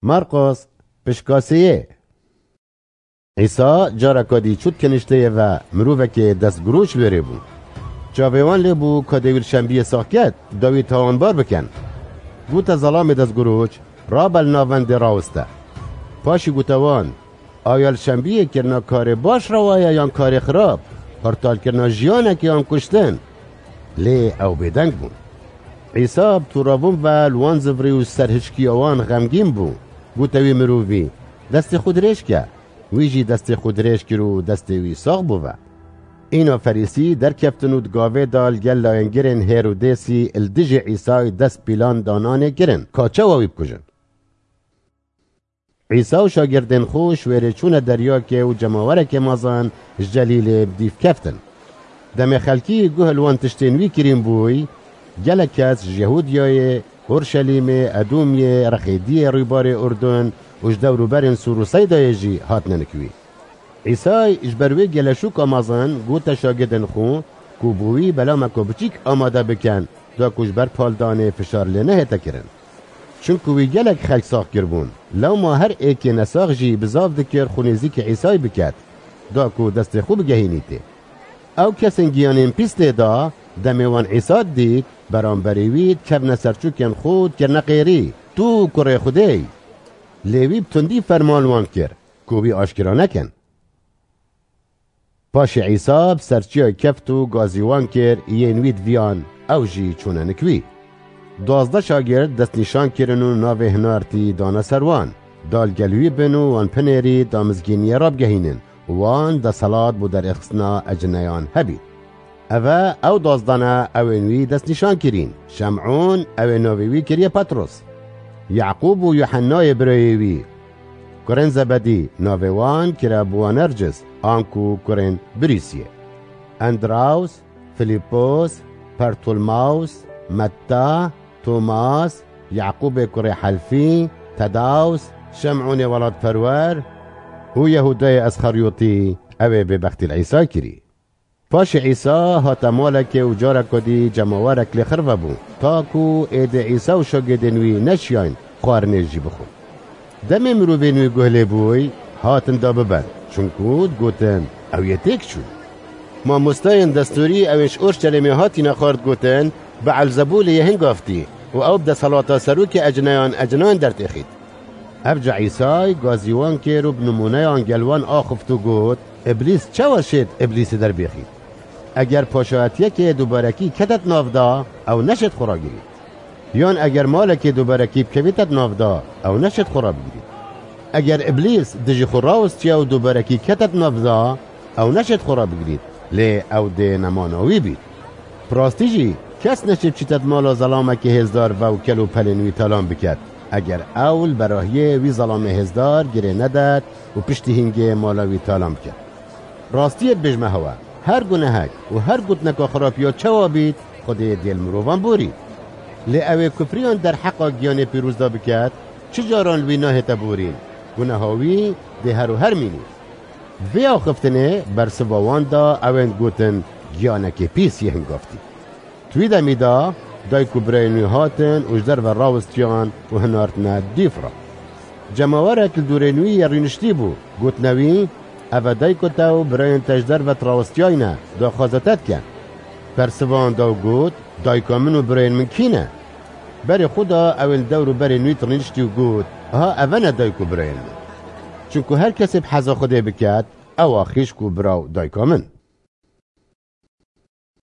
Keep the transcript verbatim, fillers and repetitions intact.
Marqos, pişka sêyê. Îsa careka dî çût kenişteyê ve mirovekê destgiroç li wêrê bû. Çavê wan lê bû ka dê wî li şembiyê sax ket, da wî tawanbar bikin. Gote zelamê destgiroç, rabe li navendê rawiste. Paşî gote wan, Aya li şembiyê kirina karê baş rewa ye yan karê xirab, xurtalkirina jiyanekê yan kuştin? Lê ew bêdeng bûn. Îsa bi toravûn ve li wan zivirî û serhişkiya wan xemgîn bû. Gote wî mirovî, Destê xwe dirêj ke. Wî jî destê xwe dirêj kir û destê wî sax bû ve. Îna Ferîsî derkeftin û di gavê de li gel layengirên Hêrodêsî li dijî Îsayê dest pîlan dananê kirin, ka çawa wî bikujin. Îsa û şagirdên xwe ji wêrê çûne deryakê û cemawerekê mezin ji Celîlê bi dîv keftin. Demê xelkî guh li wan tiştên wî kirîn bûy, gelek kes ji Yehûdiyayê, Urşelîmê, Edomiyê, Rexêdiyê rûbarê Urdun û ji dewrûberên Sûr û Seydayê jî hatine nik wî. Îsay ji ber wê geleşûka mezin gote şagirdên xwe ku bo wî belameka biçîk amade bikin, da ku ji ber paldanê fişar lê nehête kirin. Çunku wî gelek xelk sax kiribûn. Lewma her êkê nesax jî bizav dikir xwe nêzîkî Îsayê biket, da ku destê xwe bigehînîtê. Ew kesên giyanên pîs tê de, demê wan Îsa didît, beramberî wî dikevne ser çûkên xwe û dikirine qêrî, Tu kurê Xwedê yî. Lê wî bi tundî ferman wan kir, ku wî aşkera nekin. Paşê Îsa bi ser çiyayê keft û gazî wan kir, yên wî diviyan, ew jî çûne nik wî. Duwazdeh şagird destnîşan kirin û navê hinartî dane ser wan, da li gel wî bin û wan binêrî da mizgîniyê rabigehînin û wan desthilat bo derêxistina ecineyan hebî. Ev e ew duwazdeh ne, ew ên wî destnîşan kirîn. Şem'ûn, ew ê navê wî kiriye Petros. Yaqûb û Yuhennayê birayê wî. Kurên Zebedî, navê wan kire Boanercis, anku kurên Birîsiyê. Endraws, Filîpos, Pertulmaws, Metta, Tomas, Yaqûbê kurê Helfî, Tedaws, Şem'ûnê welatperwer û Yehûdayê Esxeryotî, ew ê bêbextî li Îsa kirî. Paşê Îsa hate malekê û careka dî cemawerek lê xirve bû, ta ku êdî Îsa û şagirdên wî neşiyayîn xwarinê jî bixwin. Demê mirovên wî guh lê bûy, hatin da biben, çunku digotin, Ew yê têk çû. Mamostayên destûrî ewên ji Orşelemê hatîne xwe digotin, Beelzebûlê yê hingaftî û ew bi desthilata serokê ecineyan ecinan dertêxît. Evca Îsay gazî wan kir û bi nimûneyan gel wan axift û got, Îblîs çawa şêt Îblîsê derbêxît? Eger paşayetiyekê dubarekî ketet nav da, ew neşêt xwe ragirît. Yan eger malekê dubarekî bikevîtet nav da, ew neşêt xwe rabigirît. Eger Îblîs dijî xwe rawistiya û dubarekî ketet nav da, ew neşêt xwe rabigirît, lê ew dê nemana wî bît. Bi rastî jî, kes neşê biçîtet mala zelamekî hêzdar ve û kel û pelên wî talan biket, eger ew li berahiyê wî zelamê hêzdar girê nedet û piştî hingê mala wî talan biket. Rastiyê dibêjme hewe, her gunehek û her gotineka xirab ya çawa bît, Xwedê dê li mirovan borî. Lê ew ê kufriyan derheqa giyanê pîroz de biket, çi caran li wî nahête borîn, guneha wî dê her û her mînî. Vê axiftinê bersiva wan da ewên gotin, Giyanekê pîs yê hingaftî. Di wî demî de dayk û birayên wî hatin û ji derve rawistiyan û hinartine dîf re. Cemawerek li dûrên wî yê rûniştî bû, gotine wî, Eve dayka te û birayên te ji derve dirawistiyayne, daxwaza te dikin. Bersivan da û got, Dayka min û birayên min kî ne? Berê xwe da ewên li dewr û berên wî dirûniştî û got, Aha eve ne dayk û birayên min. Çunku her kesê bi heza Xwedê biket, ew a xîşk û bira û dayka min.